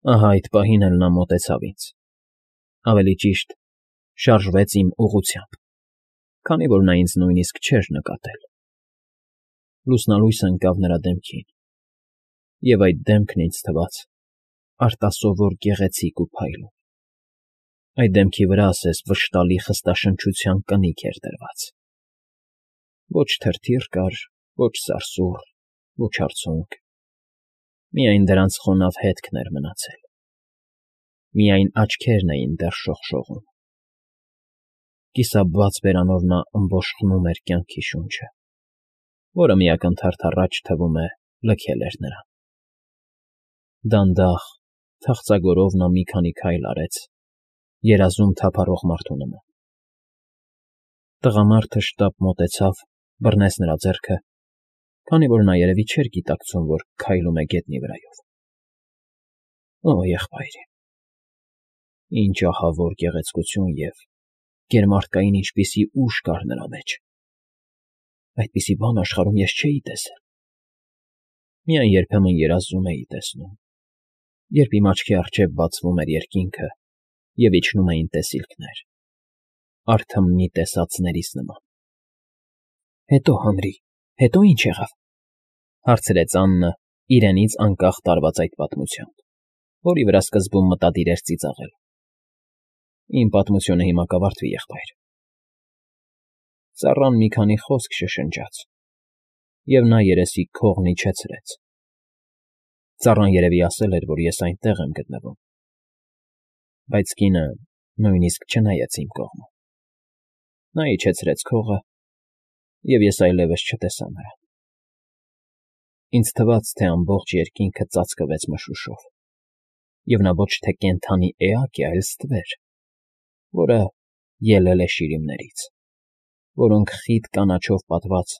Ահա այդ պահին էլ նա մոտեցավ ինձ, ավելի ճիշտ, շարժվեց իմ ուղղությամբ, քանի որ նա ինձ նույնիսկ չէր նկատել. լուսնալույս ընկավ նրա դեմքին, և այդ դեմքն ինձ թվաց արտասովոր գեղեցիկ ու փայլուն, այդ դեմքի վրա ասես վշտալի խստաշնչության կնիկ էր դրված. ոչ թրթիռ կար, ոչ սարսուռ, ոչ արցունք, միայն դրանց խոնավ հետքն էր մնացել, միայն աչքերն էին դեռ շողշողում, կիսաբաց բերանով նա ըմբոշխնում էր կյանքի շունչը, որը մի ակնթարթ առաջ, թվում է, լքել էր նրան. դանդաղ, թախծագորով նա մի քանի քայլ արեց, երազում թափառող մարդու նման. տղամարդը շտապ մոտեցավ, բռնեց նրա ձեռքը, քանի որ նա երևի չէր գիտակցում, որ քայլում է գետնի վրայով. Օ, եղբայր իմ, ինչ ահավոր գեղեցկություն և գերմարդկային ինչպիսի ուժ կար նրա մեջ, այդպիսի բան աշխարհում ես չէի տեսել, միայն երբեմն երազում էի տեսնում, երբ իմ աչքի առջև բացվում էր երկինքը և իջնում էին տեսիլքներ, արթմնի տեսածներիս նման։ Հետո, Հանրի, հետո ինչ եղավ, հարցրեց Աննը իրենից անկախ տարված այդ պատմությամբ, որի վրա սկզբում մտադիր էր ծիծաղել։ Իմ պատմությունը հիմա կավարտվի, եղբայր։ Ծառան մի քանի խոսք շշնջաց, և նա երեսի քողն իջեցրեց. ծառան երևի ասել էր, որ ես այնտեղ եմ գտնվում, բայց կինը նույնիսկ չնայեց իմ կողմը. նա իջեցրեց քողը, և ես այլևս չտեսա նրան։ Ինձ թվաց, թե ամբողջ երկինքը ծածկվեց մշուշով, և նա ոչ թե կենդանի էակ է, այլ ստվեր, որը ելել է շիրիմներից, որոնք խիտ կանաչով պատված,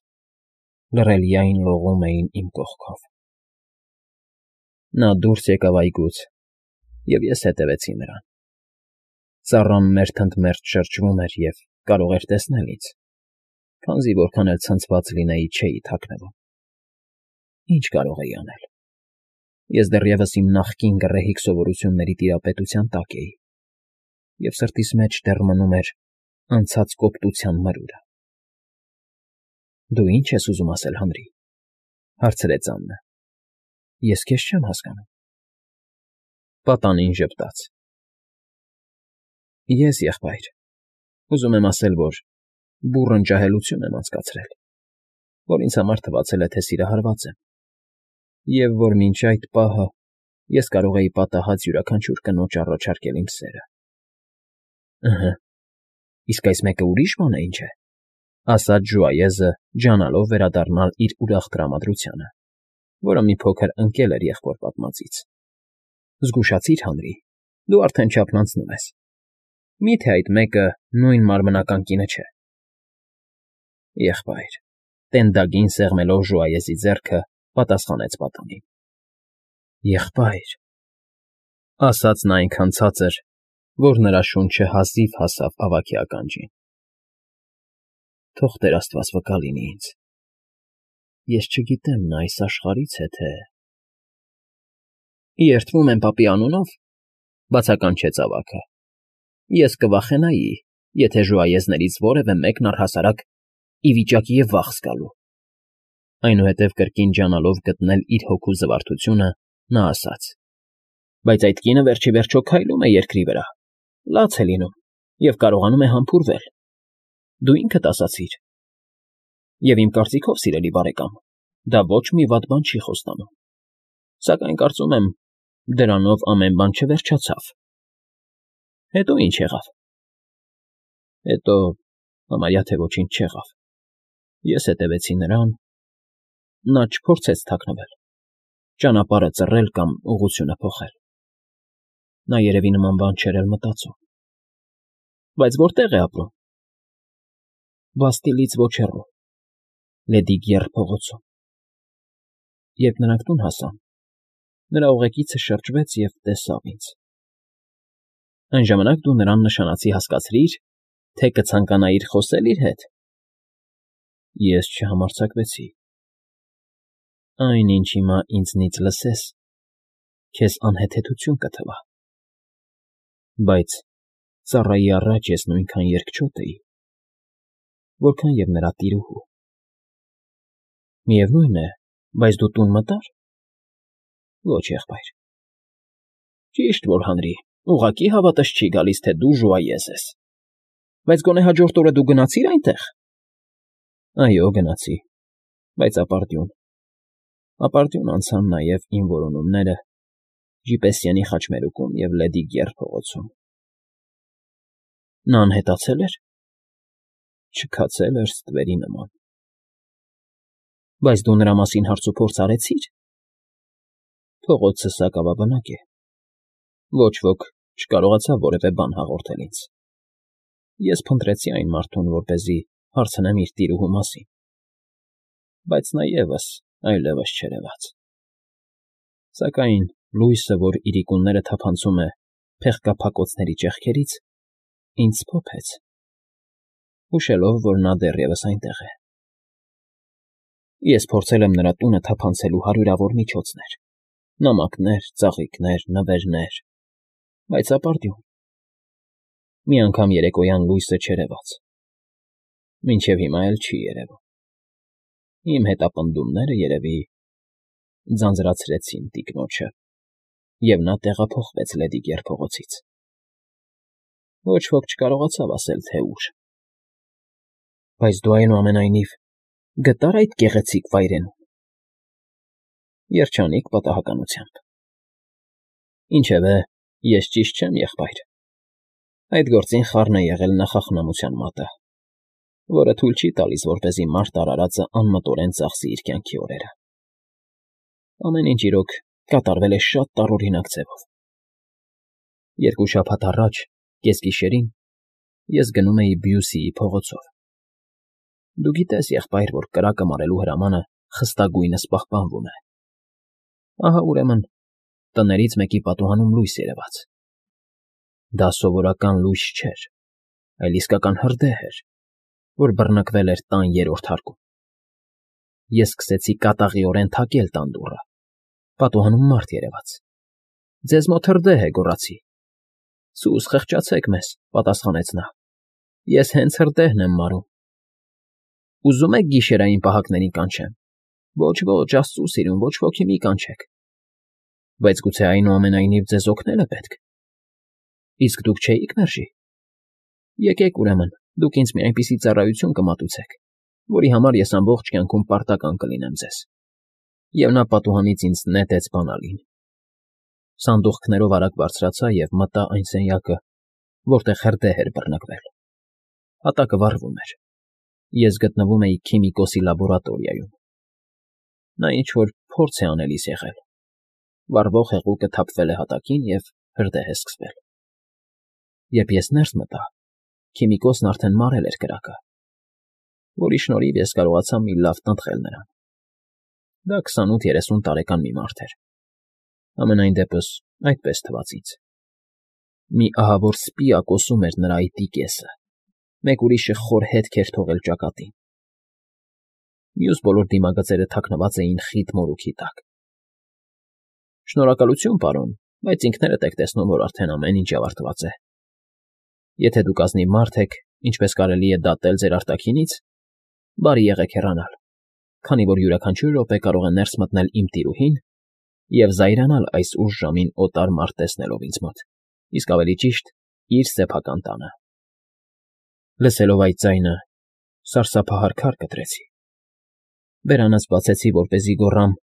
լռելիայն լողում էին իմ կողքով։ Նա դուրս եկավ այգուց, և ես հետևեցի նրան։ Ծառան մերթընդմերթ շրջվում էր և կարող էր տեսնել ինձ, քանզի որքան էլ ցնցված լինեի, չէի թաքնվում։ Ինչ կարող էի անել։ Ես դեռևս իմ նախկին գռեհիկ սովորությունների տիրապետության տակ էի, և սրտիս մեջ դեռ մնում էր անցած կոպտության մրուրը։ Դու ի՞նչ ես ուզում ասել, Հանրի, հարցրեց Աննը։ Ես քեզ չեմ հասկանում։ Պատանին ժպտաց։ Ես, եղբայր, ուզում եմ ասել, որ բուռն ջահելություն եմ անցկացրել, որ ինձ համար թվացել է, թե սիրահարված եմ, և որ մինչ այդ պահը ես կարող էի պատահած յուրաքանչյուր կնոջ առաջարկել իմ սերը։ Ըհը, իսկ այս մեկը ուրիշ բան է, ինչ է, ասաց ժուայեզը, ջանալով վերադառնալ իր ուրախ տրամադրությանը, որը մի փոքր ընկել էր եղբոր պատմածից։ Զգուշացիր, Հանրի, դու արդեն չափն անցնում ես։ Մի՞թե այդ մեկը նույն մարմնական կինը չէ։ Եղբայր, տենդագին սեղմելով ժուայեզի ձեռքը, պատասխանեց պատանին։ Եղբայր, ասաց նա այնքան ցածր, որ նրա շունչը հազիվ հասավ ավագի ականջին։ Թող Տեր Աստված վկա լինի ինձ։ Ես չգիտեմ նա այս աշխարհից է, թե… Երդվում եմ պապի անունով, բացականչեց ավագը, ես կվախենայի, եթե ժուայեզներից որևէ մեկն առհասարակ ի վիճակի է վաղ զգալու։ Այնուհետև կրկին ջանալով գտնել իր հոգու զվարթությունը, նա ասաց. բայց այդ կինը վերջիվերջո քայլում է երկրի վրա, լաց է լինում և կարողանում է համբուրվել։ Դու ինքդ ասացիր։ Եվ իմ կարծիքով, սիրելի բարեկամ, դա ոչ մի վատ բան չի խոստանում, սակայն կարծում եմ, դրանով ամեն բան չվերջացավ։ Հետո ինչ եղավ։ Հետո համարյա թե ոչինչ չեղավ։ Ես հետևեցի նրան, նա չփորձեց թաքնվել, ճանապարհը ծռել կամ ուղղությունը փոխել։ Նա երևի նման բան չէր էլ մտածում։ Բայց որտե՞ղ է ապրում։ Բաստիլից ոչ հեռու, Լեդիգյեռ փողոցում։ Երբ նրանք տուն հասան, նրա ուղեկիցը շրջվեց և տեսավ ինձ։ Այն ժամանակ դու նրան նշանացի հասկացրի՞ր, թե կցանկանայիր խոսել իր հետ։ Ես չհամարձակվեցի։ Այն, ինչ հիմա ինձնից լսես, Քեզ անհեթեթություն կթվա։ Բայց ծառայի առաջ ես նույնքան երկչոտ էի, որքան և նրա տիրուհու։ Միևնույն է, բայց դու տուն մտա՞ր։ Ոչ, եղբայր։ Ճիշտ որ հանրի, ուղղակի հավատս չի գալիս, թե դու ժուայեզ ես։ Բայց գոնե հաջորդ օրը դու գնացի՞ր այնտեղ։ Այո, գնացի, բայց ապարդյուն։ Ապարդյուն անցան նաև իմ որոնումները Ժիպեսյանի խաչմերուկում և Լեդի Գեռ փողոցում։ Նա անհետացե՞լ էր։ Չքացել էր ստվերի նման։ Բայց դու նրա մասին հարցուփորձ արեցի՞ր։ Փողոցը սակավաբնակ է։ Ոչ ոք չկարողացավ որևէ բան հաղորդել ինձ։ Ես փնտրեցի այն մարդուն, որպեսզի հարցնեմ իր տիրուհու մասին։ Բայց նա ևս այլևս չերևաց։ Սակայն լույսը, որ իրիկունները թափանցում է փեղկափակոցների ճեղքերից, ինձ սփոփեց, հուշելով, որ նա դեռևս այնտեղ է։ Ես փորձել եմ նրա տունը թափանցելու հարյուրավոր միջոցներ. նամակներ, ծաղիկներ, նվերներ, բայց ապարդյուն։ Մի անգամ երեկոյան լույսը չերևաց։ Մինչև հիմա էլ չի երևում։ Իմ հետապնդումները, երևի, ձանձրացրեցին տիկնոջը, և նա տեղափոխվեց Լեդի Գեռ փողոցից։ Ոչ ոք չկարողացավ ասել, թե ուր։ Բայց դու այնուամենայնիվ գտա՞ր այդ գեղեցիկ վայրենուն։ Երջանիկ պատահականությամբ։ Ինչևէ, ես ճիշտ չեմ, եղբայր։ Այդ գործին խառն է եղել նախախնամության մատը, որը թույլ չի տալիս, որպեսզի մարդ արարածը անմտորեն ծախսի իր կյանքի օրերը։ Ամեն ինչ, իրոք, կատարվել է շատ տարօրինակ ձևով։ 2 շաբաթ առաջ, կեսգիշերին, ես գնում էի Բյուսիի փողոցով։ Դու գիտես, եղբայր, որ կրակը մարելու հրամանը խստագույնս պահպանվում է։ Ահա, ուրեմն, տներից մեկի պատուհանում լույս երևաց։ Դա սովորական լույս չէր, այլ իսկական հրդեհ էր, որ բռնկվել էր տան 3-րդ հարկում։ Ես սկսեցի կատաղիորեն թակել տան դուռը։ Պատուհանում մարդ երևաց։ Ձեզ մոտ հրդեհ է, գոռացի։ Սուս խղճացեք մեզ, պատասխանեց նա։ Ես հենց հրդեհն եմ մարում։ Ուզում եք գիշերային պահակներին կանչեմ։ Ոչ, աստծու սիրուն, ոչ ոքի մի կանչեք։ Բայց գուցե այնուամենայնիվ ձեզ օգնելը պետք։ Իսկ դուք չէիք մերժի։ Եկեք, ուրեմն, դուք ինձ մի այնպիսի ծառայություն կմատուցեք, որի համար ես ամբողջ կյանքում պարտական կլինեմ ձեզ։ Եվ նա պատուհանից ինձ նետեց բանալին։ Սանդուղքներով արագ բարձրացա և մտա այն սենյակը, որտեղ հրդեհ էր բռնկվել։ Հատակը վառվում էր։ Ես գտնվում էի քիմիկոսի լաբորատորիայում։ Նա ինչ-որ փորձ է անելիս եղել։ Վառվող հեղուկը թափվել է հատակին, և հրդեհ է սկսվել։ Երբ ես ներս մտա, քիմիկոսն արդեն մարել էր կրակը, որի շնորհիվ ես կարողացա մի լավ տնտղել նրան։ Դա 28-30 տարեկան մի մարդ էր։ Համենայն դեպս այդպես թվաց ինձ։ Մի ահավոր սպի ակոսում էր նրա այտի կեսը, մեկ ուրիշը խոր հետք էր թողել ճակատին։ Մյուս բոլոր դիմագծերը թաքնված էին խիտ մորուքի տակ։ Շնորհակալություն, պարոն, բայց ինքներդ եք տեսնում, որ արդեն ամեն ինչ ավարտված է։ Եթե դուք ազնիվ մարդ եք, ինչպես կարելի է դատել ձեր արտաքինից, բարի եղեք հեռանալ, քանի որ յուրաքանչյուր րոպե կարող է ներս մտնել իմ տիրուհին և զայրանալ այս ուշ ժամին օտար մարդ տեսնելով ինձ մոտ, իսկ ավելի ճիշտ, իր սեփական տանը։ Լսելով այդ ձայնը, սարսափահար քար կտրեցի։ Բերանս բացեցի, որպեսզի գոռամ.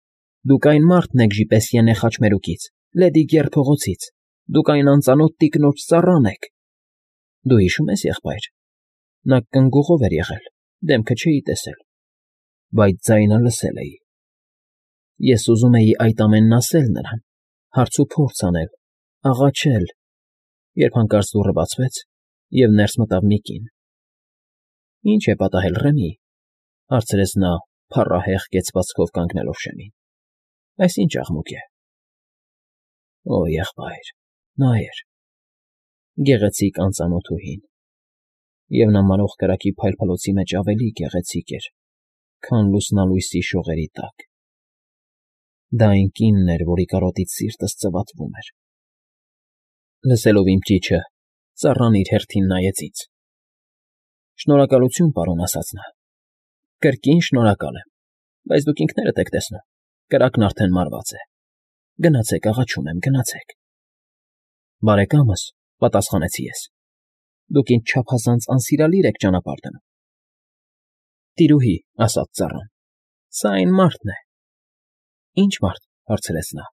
«Դուք այն մարդն եք Ժիպեսյենե խաչմերուկից, Լեդի Գեռ փողոցից, դուք այն անծանոթ տիկնոջ ծառան եք»։ Դու հիշո՞ւմ ես, եղբայր։ Նա կնգուղով էր եղել, դեմքը չէի տեսել, բայց ձայնը լսել էի։ Ես ուզում էի այդ ամենն ասել նրան, հարցուփորձ անել, աղաչել, երբ հանկարծ դուռը բացվեց, և ներս մտավ մի կին։ «Ի՞նչ է պատահել, Ռեմի», հարցրեց նա, փառահեղ կեցվածքով կանգնելով շեմին։ «Այս ի՞նչ աղմուկ է»։ Օ, եղբայր, նա էր, գեղեցիկ անծանոթուհին, և նա մարող կրակի փայլփլոցի մեջ ավելի գեղեցիկ էր, քան լուսնալույսի շողերի տակ։ Դա այն կինն էր, որի կարոտից սիրտս ծվացվում էր։ Լսելով իմ ճիչը, ծառան իր հերթին նայեց ինձ։ Շնորհակալություն, պարոն, ասաց նա։ Կրկին շնորհակալ եմ, բայց դուք ինքներդ եք տեսնում, կրակն արդեն մարված է։ Գնացեք, աղաչում եմ, գնացեք։ Բարեկամս, պատասխանեցի ես, դուք ինձ չափազանց անսիրալիր եք ճանապարհ դնում։ Տիրուհի, ասաց ծառան, սա այն մարդն է։ Ինչ մարդ, հարցրեց նա։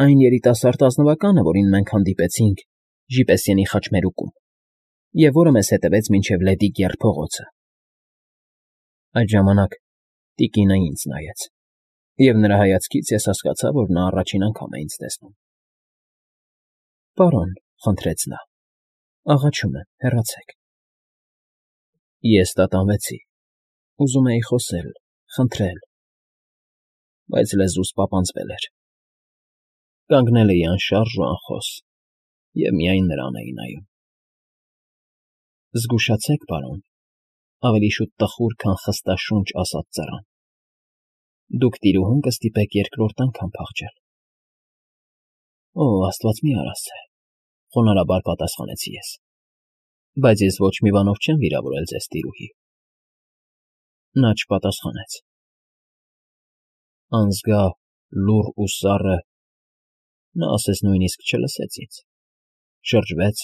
Այն երիտասարդ ազնվականը, որին մենք հանդիպեցինք Ժիպեսիենի խաչմերուկում, և որը մեզ հետևեց մինչև Լեդի Կեռ փողոցը։ Այդ ժամանակ տիկինը ինձ նայեց, և նրա հայացքից ես հասկացա, որ նա առաջին անգամ է ինձ տեսնում։ Պարոն, խնդրեց նա, աղաչում եմ, հեռացեք։ Ես տատանվեցի, ուզում էի խոսել, խնդրել, բայց լեզուս պապանձվել էր։ Կանգնել էի անշարժ ու անխոս և միայն նրան էի նայում։ Զգուշացեք, պարոն, ավելի շուտ տխուր, քան խստաշունչ, ասաց ծառան։ Դուք տիրուհուն կստիպեք երկրորդ անգամ փախչել։ Օ, աստված մի արասցե, խոնարհաբար պատասխանեցի ես։ Բայց ես ոչ մի բանով չեմ վիրավորել ձեզ, տիրուհի։ Նա չպատասխանեց։ Անզգա, լուռ ու սառը, նա ասես նույնիսկ չլսեց ինձ, շրջվեց,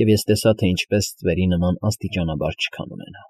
և ես տեսա, թե ինչպես ստվերի նման աստիճանաբար չքան ունենա։